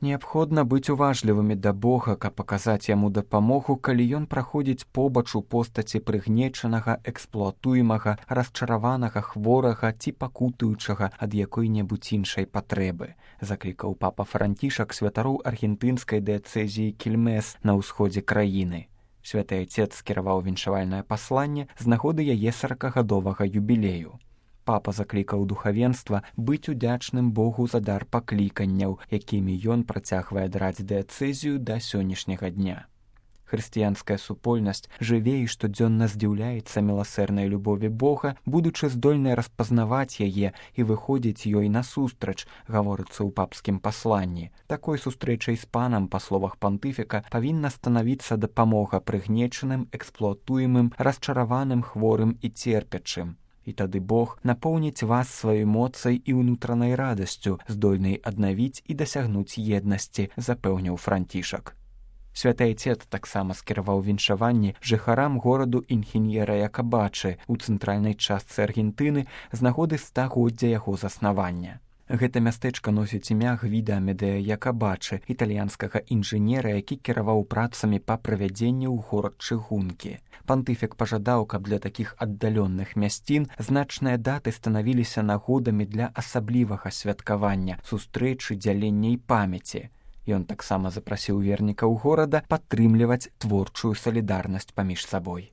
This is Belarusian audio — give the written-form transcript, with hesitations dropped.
Неабходна быць уважлівымі да Бога, каб паказаць яму дапамогу, калі ён праходзіць побач у постаці прыгнечанага, эксплуатуемага, расчараванага, хворага ці пакутуючага ад якой-небудзь іншай патрэбы, заклікаў папа Францішак святароў аргентынскай дыяцэзіі Кільмес на ўсходзе краіны. Святы Айцец скіраваў віншавальнае пасланне з нагоды яе 40-гадовага юбілею. Папа заклікаў духавенства быць удзячным Богу за дар пакліканняў, якімі ён працягвае драць дыяцэзію да сённяшняга дня. Хрысціянская супольнасць жыве і штодзённа здзіўляецца міласэрнай любові Бога, будучы здольнай распазнаваць яе і выходзіць ёй насустрач, гаворыцца ў папскім пасланні. Такой сустрэчай з панам, па словах пантыфіка, павінна станавіцца дапамога прыгнечаным, эксплуатуемым, расчараваным, хворым і церпячым. І тады Бог напоўніць вас сваёй моцай і ўнутранай радасцю, здольнай аднавіць і дасягнуць еднасці, запэўніў Францішак. Святы Айцец таксама скіраваў віншаванні жыхарам гораду Інхіньера Якабачы ў цэнтральнай частцы Аргентыны з нагоды 100-годдзя яго заснавання. Гэта мястэчка носіць імя Гвіда Амедея Якабачы, італьянскага інжынера, які кіраваў працамі па правядзенні ў горад чыгункі. Пантыфік пажадаў, каб для такіх аддаленых мясцін значныя даты станавіліся нагодамі для асаблівага святкавання, сустрэчы, дзялення і памяці. Ён таксама запрасіў вернікаў горада падтрымліваць творчую салідарнасць паміж сабой.